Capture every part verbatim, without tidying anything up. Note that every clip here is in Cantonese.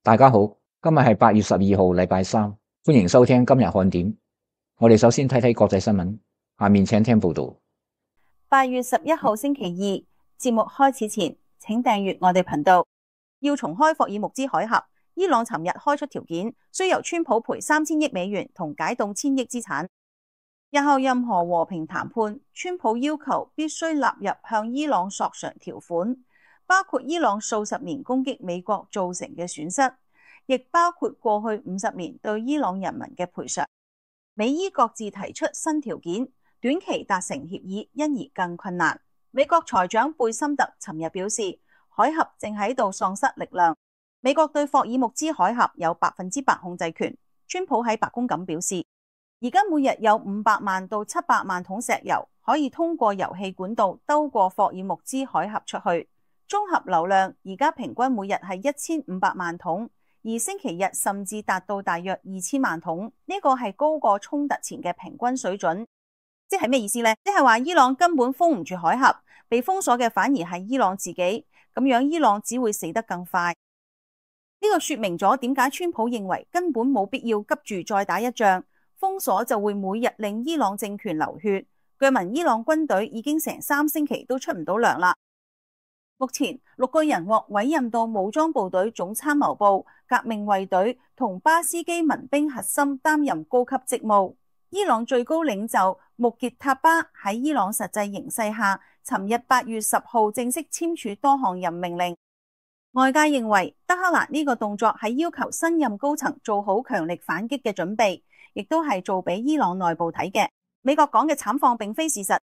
大家好，今日係八月十二號，禮拜三，歡迎收聽今日看點。我哋首先睇睇國際新聞，下面請聽報道。八月十一號星期二，節目開始前，請訂閱我哋頻道。要重開霍爾木茲海峽，伊朗尋日開出條件，需由川普賠三千億美元同解凍千億資產。日後任何和平談判，川普要求必須納入向伊朗索償條款，包括伊朗數十年攻擊美國造成嘅損失，亦包括過去五十年對伊朗人民嘅賠償。美伊各自提出新條件，短期達成協議因而更困難。美國財長貝森特尋日表示，海峽正喺度喪失力量。美國對霍爾木茲海峽有百分之百控制權。川普喺白宮咁表示，而家每日有五百萬到七百萬桶石油可以通過油氣管道兜過霍爾木茲海峽出去，綜合流量而家平均每日係一千五百萬桶，而星期日甚至達到大約二千萬桶，呢個係高過衝突前嘅平均水準。即係咩意思呢？即係話伊朗根本封唔住海峽，被封鎖嘅反而係伊朗自己，咁樣伊朗只會死得更快。呢個說明咗點解川普認為根本冇必要急住再打一仗，封鎖就會每日令伊朗政權流血。據聞伊朗軍隊已經成三星期都出唔到糧啦。目前六個人獲委任到武裝部隊總參謀部、革命衛隊同巴斯基民兵核心擔任高級職務。伊朗最高領袖穆傑塔巴喺伊朗實際形勢下，尋日八月十號正式簽署多項任命令。外界認為德黑蘭呢個動作係要求新任高層做好強力反擊嘅準備，亦都係做俾伊朗內部睇嘅。美國講嘅慘況並非事實。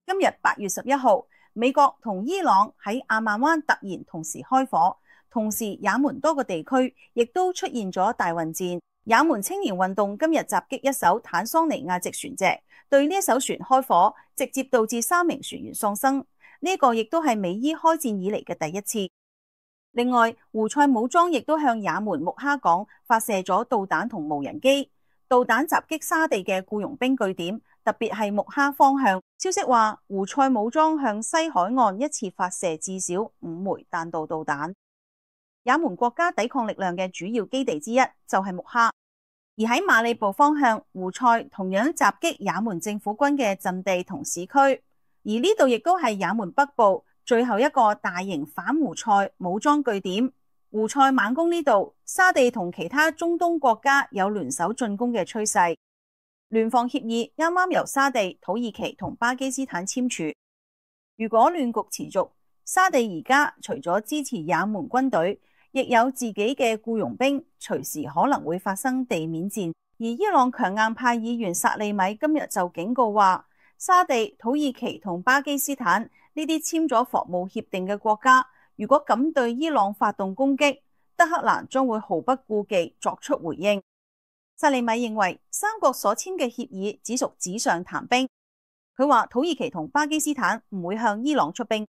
今日八月十一號，美國同伊朗喺阿曼灣突然同時開火，同時也門多個地區亦都出現咗大混戰。也門青年運動今日襲擊一艘坦桑尼亞籍船隻，對呢一艘船開火，直接導致三名船員喪生。呢個亦都係美伊開戰以嚟嘅第一次。另外，胡塞武裝亦都向也門穆哈港發射咗導彈同無人機，導彈襲擊沙地嘅僱傭兵據點，特別係穆哈方向。消息話，胡塞武裝向西海岸一次發射至少五枚彈道導彈。也門國家抵抗力量嘅主要基地之一就係穆哈，而喺馬里布方向，胡塞同樣襲擊也門政府軍嘅陣地同市區，而呢度亦都係也門北部最後一個大型反胡塞武裝據點。胡塞猛攻呢度，沙地同其他中東國家有聯手進攻嘅趨勢。聯防協議啱啱由沙地、土耳其同巴基斯坦簽署。如果亂局持續，沙地而家除咗支持也門軍隊，亦有自己嘅僱傭兵，隨時可能會發生地面戰。而伊朗強硬派議員薩利米今日就警告話，沙地、土耳其同巴基斯坦呢啲簽咗防務協定嘅國家，如果敢對伊朗發動攻擊，德黑蘭將會毫不顧忌作出回應。薩利米認為三國所簽嘅協議只屬紙上談兵。佢話土耳其同巴基斯坦唔會向伊朗出兵。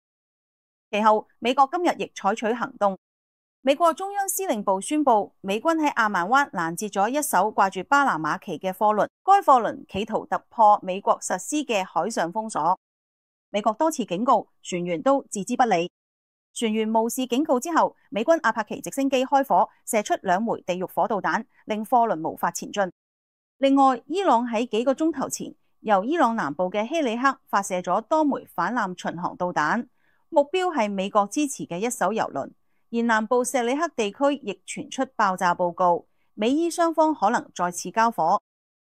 其後，美國今日亦採取行動。美國中央司令部宣布，美軍喺阿曼灣攔截咗一艘掛住巴拿馬旗嘅貨輪，該貨輪企圖突破美國實施嘅海上封鎖。美國多次警告，船員都置之不理。船員無視警告之後，美軍阿帕奇直升機開火，射出兩枚地獄火導彈，令貨輪無法前進。另外，伊朗喺幾個鐘頭前，由伊朗南部嘅希里克發射咗多枚反艦巡航導彈，目標係美國支持嘅一艘油輪。而南部錫里克地區亦傳出爆炸報告，美伊雙方可能再次交火。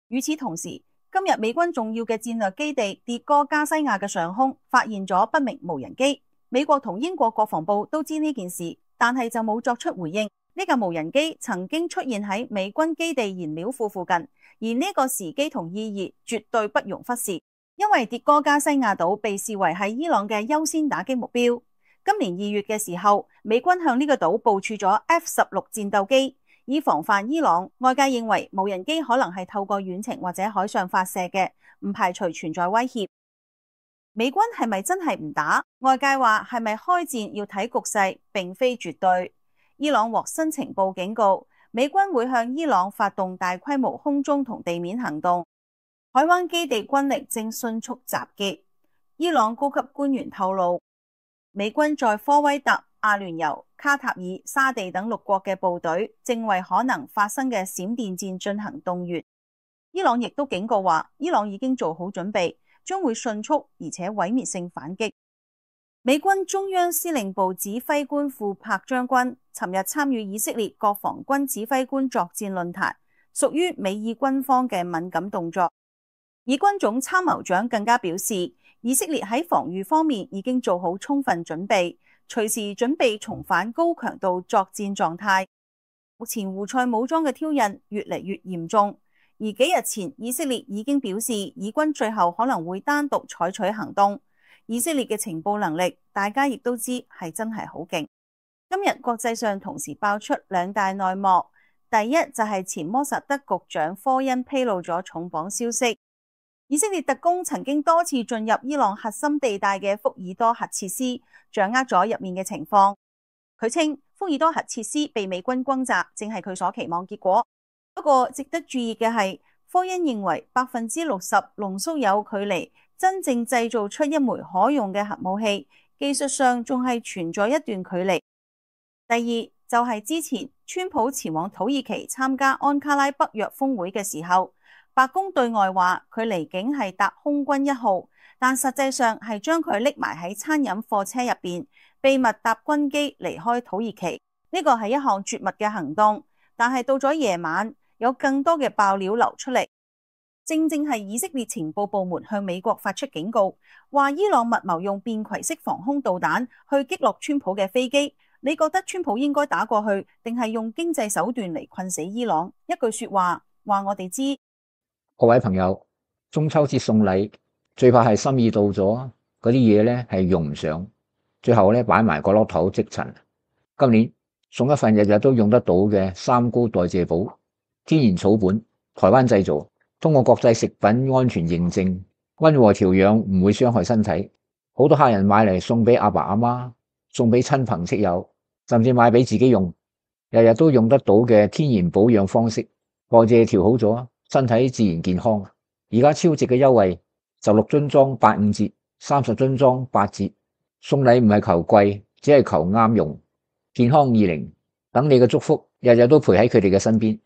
與此同時，今日美軍重要嘅戰略基地迭戈加西亞嘅上空發現咗不明無人機。美國同英國國防部都知呢件事，但係就冇作出回應。呢架無人機曾經出現喺美軍基地燃料庫附近，而呢個時機同意義絕對不容忽視，因為迭戈加西亞島被視為係伊朗嘅優先打擊目標。今年二月嘅時候，美軍向呢個島部署咗 F 十六戰鬥機，以防範伊朗。外界認為無人機可能係透過遠程或者海上發射嘅，唔排除存在威脅。美軍係咪真係唔打？外界話係咪開戰要睇局勢，並非絕對。伊朗獲新情報警告，美軍會向伊朗發動大規模空中同地面行動，海灣基地軍力正迅速集結。伊朗高級官員透露，美軍在科威特、阿聯酋、卡塔爾、沙地等六國嘅部隊正為可能發生嘅閃電戰進行動員。伊朗亦都警告話，伊朗已經做好準備，將會迅速而且毀滅性反擊。美軍中央司令部指揮官庫珀將軍尋日參與以色列國防軍指揮官作戰論壇，屬於美以軍方嘅敏感動作。以軍總參謀長更加表示，以色列喺防禦方面已經做好充分準備，隨時準備重返高強度作戰狀態。目前胡塞武裝嘅挑釁越嚟越嚴重，而幾日前以色列已經表示，以軍最後可能會單獨採取行動。以色列嘅情報能力，大家亦都知係真係好勁。今日國際上同時爆出兩大內幕，第一就係前摩薩德局長科恩披露咗重磅消息，以色列特工曾經多次進入伊朗核心地帶嘅福爾多核設施，掌握咗入面嘅情況。佢稱福爾多核設施被美軍轟炸，正係佢所期望結果。不過值得注意嘅係，科恩認為百分之六十濃縮鈾距離真正製造出一枚可用嘅核武器，技術上仲係存在一段距離。第二就係、是、之前川普前往土耳其參加安卡拉北約峰會嘅時候，白宮對外話佢離境係搭空軍一號，但實際上係將佢匿埋喺餐飲貨車入邊，秘密搭軍機離開土耳其。呢個係一項絕密嘅行動，但係到咗夜晚，有更多嘅爆料流出嚟。正正係以色列情報部門向美國發出警告，話伊朗密謀用便攜式防空導彈去擊落川普嘅飛機。你覺得川普應該打過去，定係用經濟手段嚟困死伊朗？一句說話話我哋知。各位朋友，中秋節送禮最怕係心意到咗，嗰啲嘢咧係用唔上，最後咧擺埋個落頭積塵。今年送一份日日都用得到嘅三高代謝寶，天然草本，台灣製造。通過國際食品安全認證，溫和調養，唔會傷害身體。好多客人買嚟送俾阿爸阿媽，送俾親朋戚友，甚至買俾自己用，日日都用得到嘅天然保養方式，代謝調好咗，身體自然健康。而家超值嘅優惠，十六樽裝八五折，三十樽裝八折。送禮唔係求貴，只係求啱用。健康二零，等你嘅祝福，日日都陪喺佢哋嘅身邊。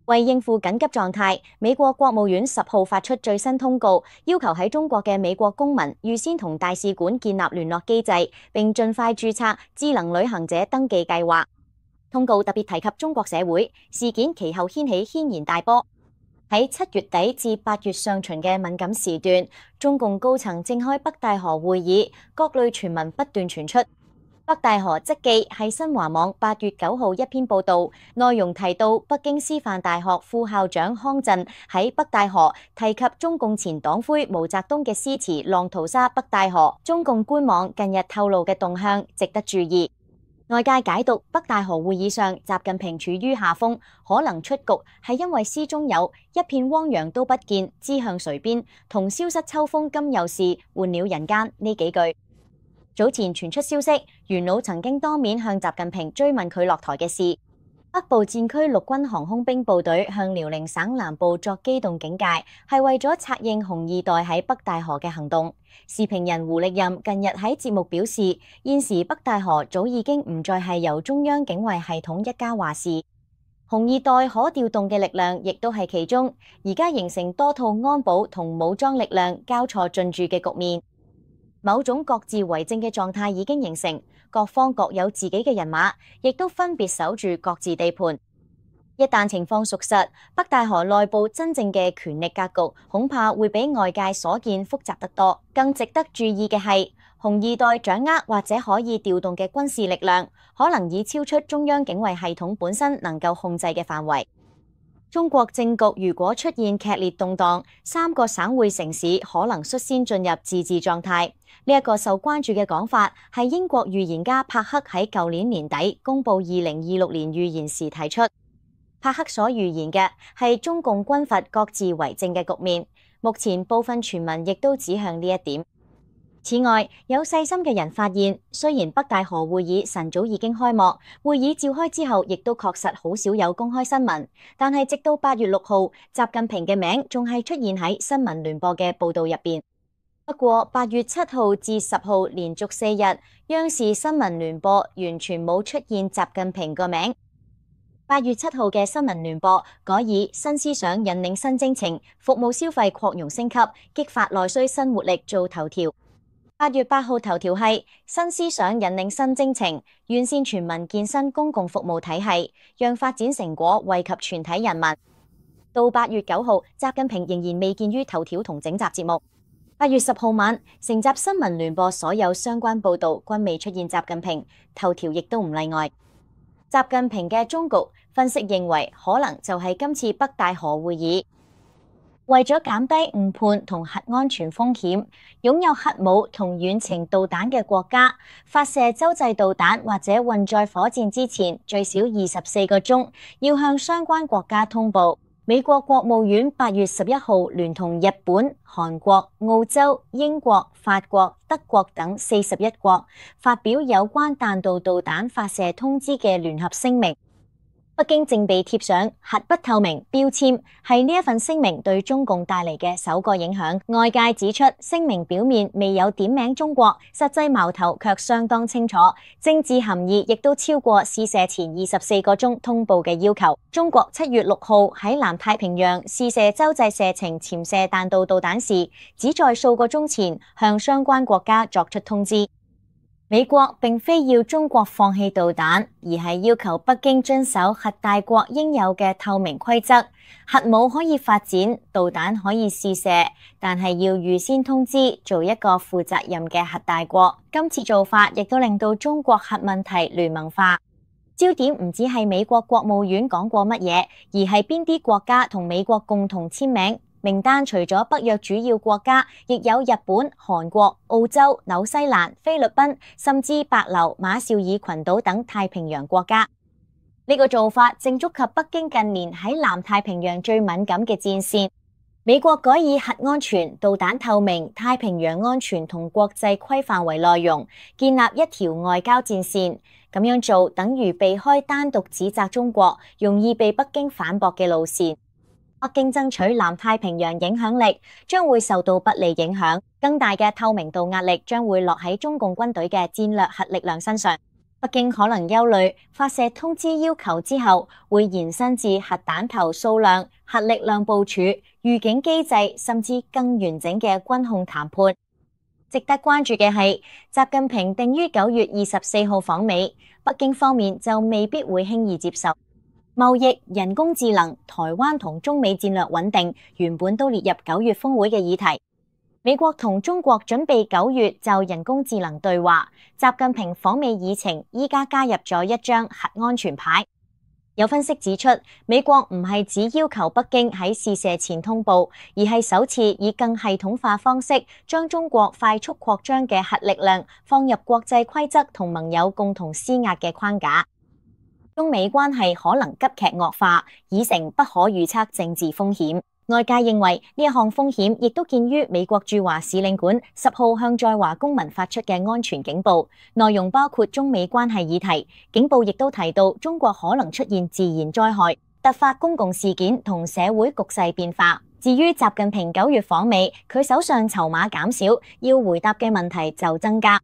為應付緊急狀態，美國國務院十號發出最新通告，要求喺中國嘅美國公民預先同大使館建立聯絡機制，並盡快註冊智能旅行者登記計劃。通告特別提及中國社會事件，其後掀起軒然大波。喺七月底至八月上旬嘅敏感時段，中共高層正開北戴河會議，各類傳聞不斷傳出。北戴河即記係新華網八月九號一篇報道，內容提到北京師範大學副校長康震喺北戴河提及中共前黨魁毛澤東嘅詩詞《浪淘沙北戴河》。中共官網近日透露嘅動向值得注意。外界解讀北戴河會議上習近平處於下風，可能出局係因為詩中有一片汪洋都不見，知向誰邊，同消失秋風今又是，換了人間呢幾句。早前傳出消息，元老曾經當面向習近平追問佢落台嘅事。北部戰區陸軍航空兵部隊向遼寧省南部作機動警戒，係為咗策應紅二代喺北戴河嘅行動。時評人胡力任近日喺節目表示，現時北戴河早已經唔再係由中央警衛系統一家話事，紅二代可調動嘅力量亦都係其中，而家形成多套安保同武裝力量交錯進駐嘅局面。某種各自為政嘅狀態已經形成，各方各有自己嘅人馬，亦都分別守住各自地盤。一旦情況屬實，北戴河內部真正嘅權力格局恐怕會比外界所見複雜得多。更值得注意嘅係，紅二代掌握或者可以調動嘅軍事力量，可能已超出中央警衛系統本身能夠控制嘅範圍。中國政局如果出現劇烈動盪，三個省會城市可能率先進入自治狀態。呢一個受關注嘅講法係英國預言家帕克喺舊年年底公布二零二六年預言時提出。帕克所預言嘅係中共軍閥各自為政嘅局面，目前部分傳聞亦都指向呢一點。此外，有細心嘅人發現，雖然北戴河會議晨早已經開幕，會議召開之後亦都確實好少有公開新聞，但係直到八月六號，習近平嘅名仲係出現喺新聞聯播嘅報道入邊。不過八月七號至十號連續四日，央視新聞聯播完全冇出現習近平個名。八月七號嘅新聞聯播改以新思想引領新征程，服務消費擴容升級，激發內需新活力做頭條。八月八號頭條係新思想引領新征程，完善全民健身公共服務體系，讓發展成果惠及全體人民。到八月九號，習近平仍然未見於頭條同整集節目。八月十號晚，成集新聞聯播所有相關報導均未出現習近平，頭條亦都唔例外。習近平嘅終局分析認為，可能就係今次北戴河會議。為咗減低誤判同核安全風險，擁有核武同遠程導彈嘅國家發射洲際導彈或者運載火箭之前，最少二十四個鐘要向相關國家通報。美國國務院八月十一號聯同日本、韓國、澳洲、英國、法國、德國等四十一國發表有關彈道導彈發射通知嘅聯合聲明。北京正被貼上核不透明標籤，係呢一份聲明對中共帶嚟嘅首個影響。外界指出，聲明表面未有點名中國，實際矛頭卻相當清楚，政治含義亦都超過試射前二十四個鐘通報嘅要求。中國七月六號喺南太平洋試射洲際射程潛射彈道導彈時，只在數個鐘前向相關國家作出通知。美國並非要中國放棄導彈，而係要求北京遵守核大國應有嘅透明規則。核武可以發展，導彈可以試射，但係要預先通知，做一個負責任嘅核大國。今次做法亦都令到中國核問題聯盟化。焦點唔只係美國國務院講過乜嘢，而係邊啲國家同美國共同簽名。名單除咗北約主要國家，亦有日本、韓國、澳洲、紐西蘭、菲律賓，甚至帛琉、馬紹爾群島等太平洋國家。呢個做法正觸及北京近年喺南太平洋最敏感嘅戰線。美國改以核安全、導彈透明、太平洋安全同國際規範為內容，建立一條外交戰線。咁樣做等於避開單獨指責中國，容易被北京反駁嘅路線。北京爭取南太平洋影響力將會受到不利影響，更大嘅透明度壓力將會落喺中共軍隊嘅戰略核力量身上。北京可能憂慮發射通知要求之後會延伸至核彈頭數量、核力量部署、預警機制，甚至更完整嘅軍控談判。值得關注嘅係，習近平定於九月二十四號訪美，北京方面就未必會輕易接受。貿易、人工智能、台灣同中美戰略穩定原本都列入九月峰會嘅議題。美國同中國準備九月就人工智能對話，習近平訪美議程依家加入咗一張核安全牌。有分析指出，美國唔係只要求北京喺試射前通報，而係首次以更系統化方式將中國快速擴張嘅核力量放入國際規則同盟友共同施壓嘅框架。中美關係可能急劇惡化，已成不可預測政治風險。外界認為呢一項風險亦都見於美國駐華使領館十號向在華公民發出嘅安全警報，內容包括中美關係議題。警報亦都提到中國可能出現自然災害、突發公共事件同社會局勢變化。至於習近平九月訪美，佢手上籌碼減少，要回答嘅問題就增加。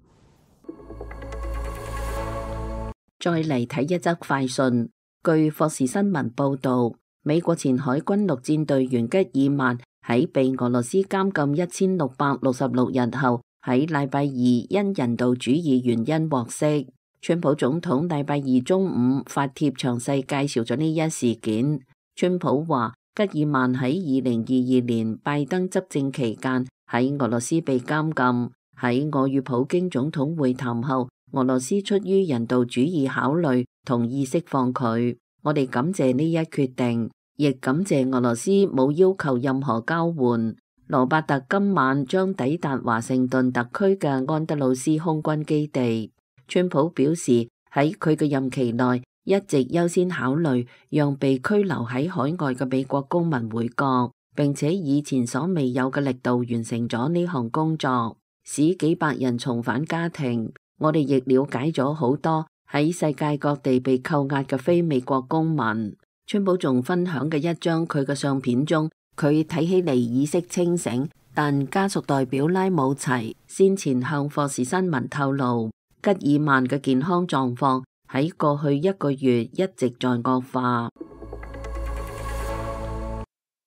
再嚟睇一則快訊，據霍士新聞報道，美國前海軍陸戰隊員吉爾曼喺被俄羅斯監禁一千六百六十六日後，喺禮拜二因人道主義原因獲釋。川普總統禮拜二中午發帖詳細介紹咗呢一事件。川普話，吉爾曼喺二零二二年拜登執政期間喺俄羅斯被監禁，喺我與普京總統會談後，俄羅斯出於人道主義考慮，同意釋放佢。我哋感謝呢一決定，亦感謝俄羅斯冇要求任何交換。羅伯特今晚將抵達華盛頓特區嘅安德魯斯空軍基地。川普表示喺佢嘅任期內，一直優先考慮讓被拘留喺海外嘅美國公民回國，並且以前所未有嘅力度完成咗呢項工作，使幾百人重返家庭。我哋亦了解咗好多喺世界各地被扣押嘅非美國公民。川普仲分享嘅一張佢嘅相片中，佢睇起嚟意識清醒，但家屬代表拉姆齊先前向霍士新聞透露，吉爾曼嘅健康狀況喺過去一個月一直在惡化。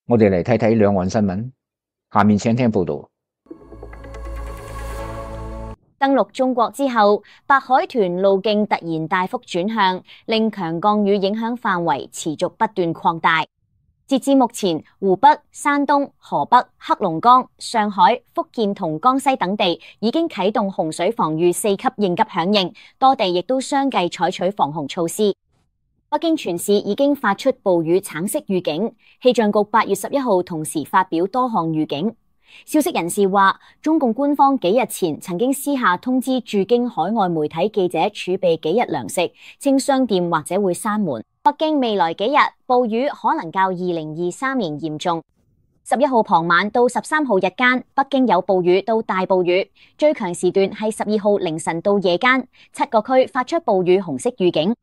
我哋嚟睇睇兩岸新聞，下面請聽報道。登陸中國之後，白海豚路徑突然大幅轉向，令強降雨影響範圍持續不斷擴大。截至目前，湖北、山東、河北、黑龍江、上海、福建同江西等地已經啟動洪水防禦四級應急響應，多地亦都相繼採取防洪措施。北京全市已經發出暴雨橙色預警，氣象局八月十一號同時發表多項預警。消息人士話，中共官方幾日前曾經私下通知駐京海外媒體記者儲備幾日糧食，稱商店或者會閂門。北京未來幾日暴雨可能較二零二三年嚴重。十一號傍晚到十三號日間，北京有暴雨到大暴雨，最強時段係十二號凌晨到夜間，七個區發出暴雨紅色預警。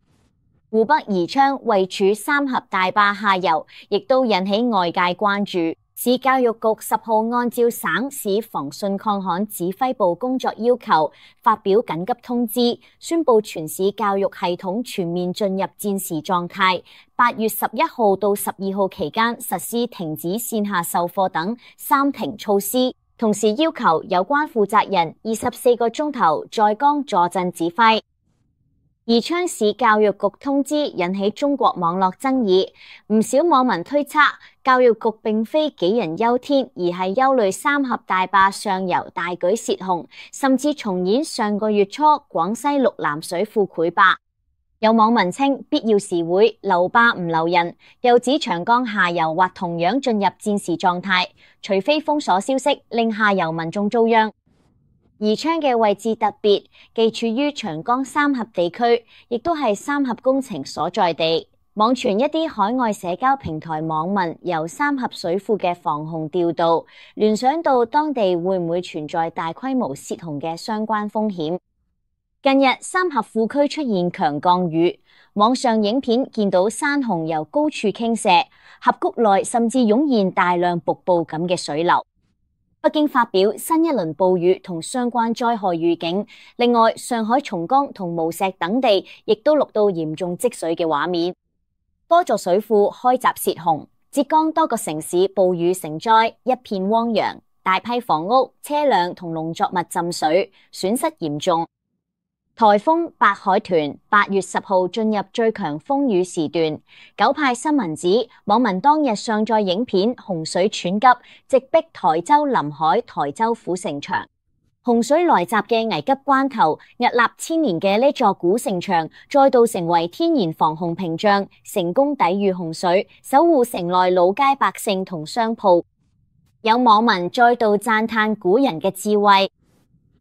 湖北宜昌位處三峽大壩下游，亦都引起外界關注。市教育局十號按照省市防汛抗旱指揮部工作要求，發表緊急通知，宣布全市教育系統全面進入戰時狀態。八月十一號到十二號期間實施停止線下授課等三停措施，同時要求有關負責人二十四個鐘頭在崗坐鎮指揮。宜昌市教育局通知引起中國網絡爭議，唔少網民推測教育局並非杞人憂天，而係憂慮三峽大壩上游大舉洩洪，甚至重演上個月初廣西六南水庫潰壩。有網民稱必要時會留壩唔留人，又指長江下游或同樣進入戰時狀態，除非封鎖消息令下游民眾遭殃。宜昌嘅位置特別，既處於長江三峽地區，亦都係三峽工程所在地。網傳一啲海外社交平台網民由三峽水庫嘅防洪調度，聯想到當地會唔會存在大規模洩洪嘅相關風險。近日三峽庫區出現強降雨，網上影片見到山洪由高處傾瀉，峽谷內甚至湧現大量瀑布咁嘅水流。北京發表新一輪暴雨同相關災害預警，另外上海松江同無錫等地亦都錄到嚴重積水嘅畫面，多座水庫開閘洩洪，浙江多個城市暴雨成災，一片汪洋，大批房屋、車輛同農作物浸水，損失嚴重。颱風白海豚八月十號進入最強風雨時段，九派新聞指網民當日上載影片，洪水湍急，直逼台州臨海、台州府城牆。洪水來襲嘅危急關頭，屹立千年嘅呢座古城牆再度成為天然防洪屏障，成功抵禦洪水，守護城內老街百姓同商鋪。有網民再度讚嘆古人嘅智慧。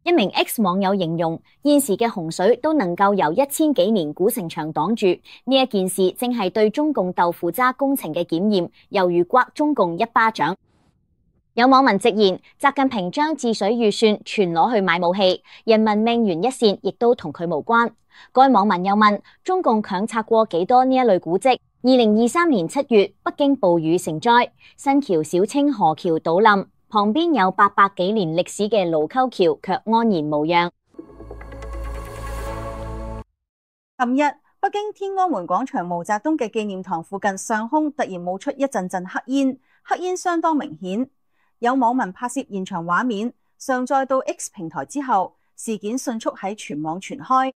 一名 X 網友形容，現時嘅洪水都能夠由一千幾年古城牆擋住，呢一件事正係對中共豆腐渣工程嘅檢驗，猶如刮中共一巴掌。有網民直言，習近平將治水預算全攞去買武器，人民命懸一線，亦都同佢無關。該網民又問，中共強拆過幾多呢一類古蹟？二零二三年七月，北京暴雨成災，新橋小清河橋倒冧。旁邊有八百幾年歷史嘅盧溝橋卻安然無恙。琴日，北京天安門廣場毛澤東嘅紀念堂附近上空突然冒出一陣陣黑煙，黑煙相當明顯。有網民拍攝現場畫面，上載到 X 平台之後，事件迅速喺全網傳開。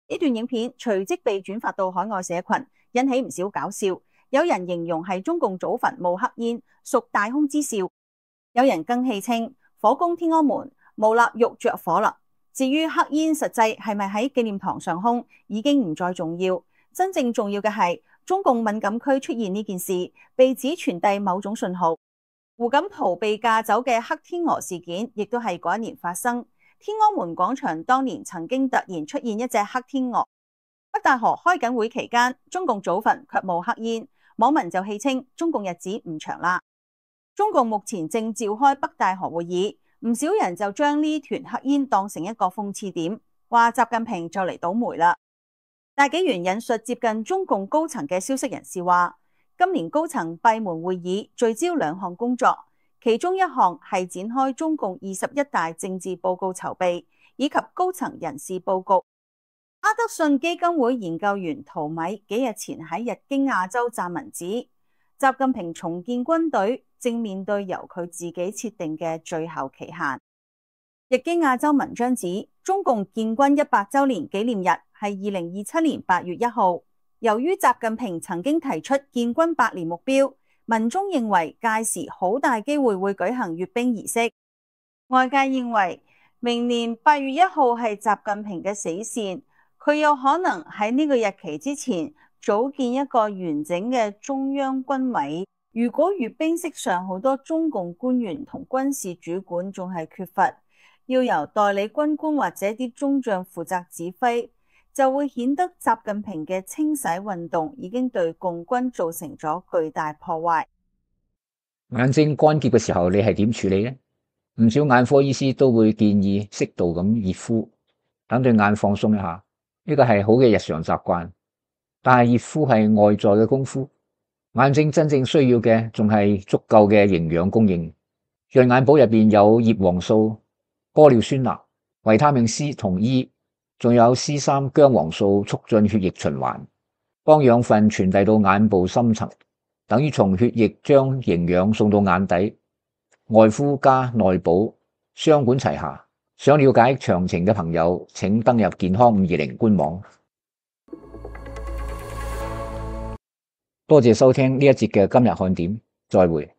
呢段影片隨即被轉發到海外社群，引起唔少搞笑。有人形容係中共祖墳冒黑煙，屬大空之兆。有人更戲稱火攻天安門，無臘肉着火啦。至於黑煙實際係咪喺紀念堂上空，已經唔再重要。真正重要嘅係中共敏感區出現呢件事，被指傳遞某種信號。胡錦濤被架走嘅黑天鵝事件，亦都係嗰一年發生。天安門廣場當年曾經突然出現一隻黑天鵝。北大河開緊會期間，中共祖墳卻冇黑煙，網民就戲稱中共日子唔長啦。中共目前正召開北大河會議，唔少人就將呢團黑煙當成一個諷刺點，話習近平就嚟倒霉啦。大紀元引述接近中共高層嘅消息人士話，今年高層閉門會議聚焦兩項工作，其中一項係展開中共二十一大政治報告籌備以及高層人事佈局。哈德遜基金會研究員陶米幾日前喺日經亞洲撰文指，習近平重建軍隊正面對由佢自己設定嘅最後期限。日經亞洲文章指，中共建軍一百周年紀念日係二零二七年八月一號。由於習近平曾經提出建軍百年目標，民眾認為屆時好大機會會舉行閱兵儀式。外界認為明年八月一號係習近平嘅死線，佢有可能喺呢個日期之前組建一個完整嘅中央軍委。如果閱兵式上好多中共官員同軍事主管仲係缺乏，要由代理軍官或者啲中將負責指揮，就會顯得習近平嘅清洗運動已經對共軍造成咗巨大破壞。眼睛乾澀嘅時候，你係點處理呢？唔少眼科醫師都會建議適度咁熱敷，等對眼放鬆一下。呢個係好嘅日常習慣，但係熱敷係外在嘅功夫，眼睛真正需要嘅仲係足夠嘅營養供應。潤眼寶入邊有葉黃素、玻尿酸鈉、維他命 C 同 E， 仲有 C 三薑黃素，促進血液循環，幫養分傳遞到眼部深層，等於從血液將營養送到眼底。外敷加內補，雙管齊下。想了解詳情嘅朋友，請登入健康五二零官網。多謝收聽呢一節嘅今日看點，再會。